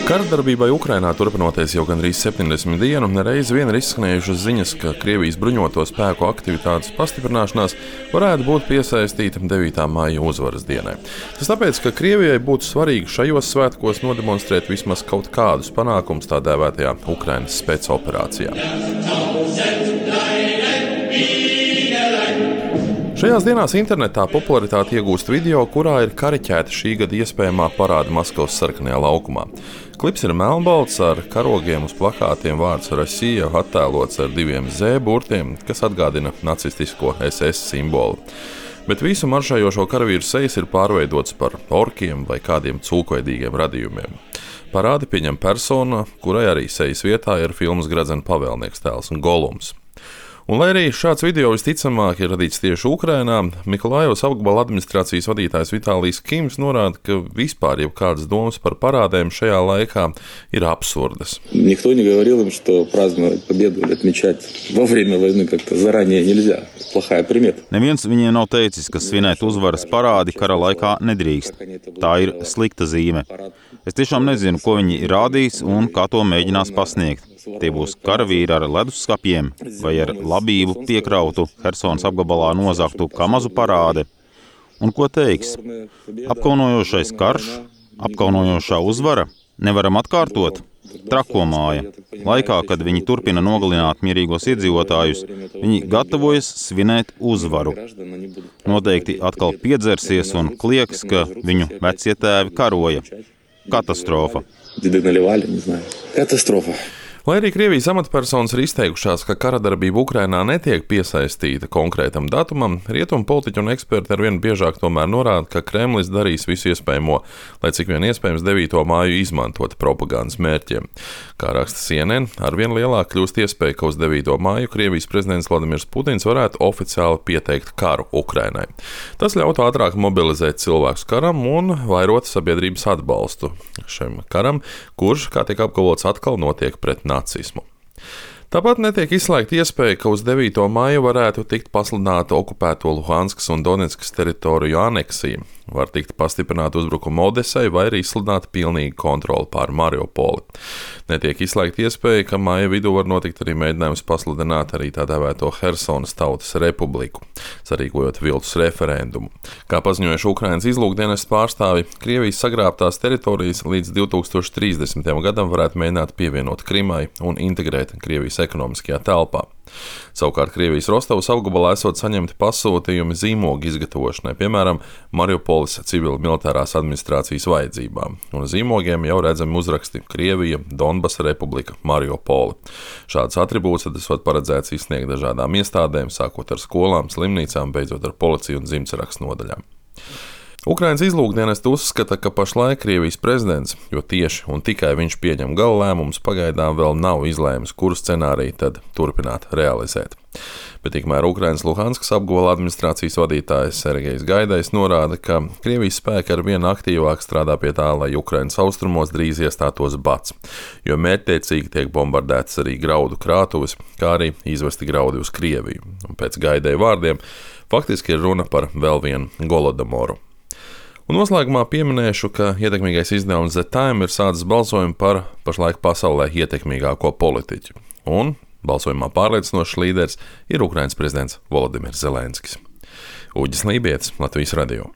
Karadarbībai Ukrainā turpinoties jau gandrīz 70 dienu, nereiz vien ir izskanējušas ziņas, ka Krievijas bruņoto spēku aktivitātes pastiprināšanās varētu būt piesaistīta 9. maija uzvaras dienai. Tas tāpēc, ka Krievijai būtu svarīgi šajos svētkos nodemonstrēt vismaz kaut kādus panākumus tā dēvētajā Ukrainas spēcoperācijā. Šajās dienās internetā popularitāti iegūst video, kurā ir kariķēta šī gada iespējamā parāda Maskavas sarkanajā laukumā. Klips ir melnbalts ar karogiem uz plakātiem, vārds Rasija attēlots ar 2 Z burtiem, kas atgādina nacistisko SS simbolu. Bet visu maršējošo karavīru sejas ir pārveidots par orkiem vai kādiem cūkveidīgiem radījumiem. Parādi pieņem persona, kurai arī sejas vietā ir filmas Gradzena pavēlnieks tēls un Golums. Un, lai arī šāds video visticamāk ir radīts tieši Ukrainā, Mikolājevas apgabala administrācijas vadītājs Vitālijs Kims norāda, ka vispār jau kādas domas par parādēm šajā laikā ir absurdas. Никто не говорил им, что праздновать победу или отмечать во время войны как-то заранее нельзя. Плохая примета. Neviens viņiem nav teicis, ka svinēt uzvaras parādi kara laikā nedrīkst. Tā ir slikta zīme. Es tiešām nezinu, ko viņi ir rādījis un kā to mēģinās pasniegt. Tie būs karavīri ar leduskapiem vai ar labību piekrautu Hersonas apgabalā nozagtu Kamazu parādi. Un ko teiks? Apkaunojošais karš, apkaunojošā uzvara, nevaram atkārtot? Trako māja. Laikā, kad viņi turpina nogalināt mierīgos iedzīvotājus, viņi gatavojas svinēt uzvaru. Noteikti atkal piedzersies un klieks, ka viņu vecie tēvi karoja. Katastrofa. Katastrofa. Lai arī Krievijas amatpersonas ir izteikušās, ka karadarbība Ukrainā netiek piesaistīta konkrētam datumam, rietumu politiķi un eksperti arvien biežāk tomēr norāda, ka Kremlis darīs visu iespējamo, lai cik vien iespējams 9. māju izmantot propagandas mērķiem. Kā raksta CNN, arvien lielāk kļūst iespēja, ka uz 9. māju Krievijas prezidents Vladimirs Putins varētu oficiāli pieteikt karu Ukrainai. Tas ļautu ātrāk mobilizēt cilvēkus karam un vairot sabiedrības atbalstu šim karam, kurš, kā tiek apgalvots, atkal notiek pret nacismu. Tāpat netiek izslēgta iespēja, ka uz 9. maiju varētu tikt pasludināta okupēto Luhanskas un Donetskas teritoriju aneksija, var tikt pastiprināta uzbrukuma Odesai vai arī izsludināta pilnīga kontrole pār Mariupoli. Netiek izslēgta iespēja, ka maija vidū var notikt arī mēģinājums pasludināt arī tā dēvēto Hersonas tautas republiku, sarīkojot viltus referendumu. Kā paziņojuši Ukrainas izlūkdienestu pārstāvi, Krievijas sagrābtās teritorijas līdz 2030. gadam varētu mēģināt pievienot Krimai un integrēt Krievijas ekonomiskajā telpā. Savukārt Krievijas Rostovas apgabalā esot saņemti pasūtījumi zīmogu izgatavošanai, piemēram, Mariupoles civil-militārās administrācijas vajadzībām. Un zīmogiem jau redzami uzraksti Krievija, Donbasa republika, Mariupoli. Šāds atribūts tad esot paredzēts izsniegt dažādām iestādēm, sākot ar skolām, slimnīcām, beidzot ar policiju un dzimtsarakstu nodaļām. Ukrainas izlūkdienests uzskata, ka pašlaik Krievijas prezidents, jo tieši un tikai viņš pieņem gala lēmumus, pagaidām vēl nav izlēmis, kuru scenāriju tad turpināt realizēt. Bet tikmēr Ukrainas Luhanskas apgabala administrācijas vadītājs Sergejs Gaidais norāda, ka Krievijas spēki arvien aktīvāk strādā pie tā, lai Ukrainas austrumos drīz iestātos bats, jo mērķtiecīgi tiek bombardētas arī graudu krātuves, kā arī izvesti graudi uz Krieviju. Un pēc Gaidai vārdiem faktiski ir runa par vēl vienu Golodamoru. Un noslēgumā pieminēšu, ka ietekmīgais izdevums The Time ir sācis balsojumu par pašlaik pasaulē ietekmīgāko politiķu. Un balsojumā pārliecinošs līderis ir Ukrainas prezidents Volodimirs Zelenskis. Uģis Lībietis, Latvijas radio.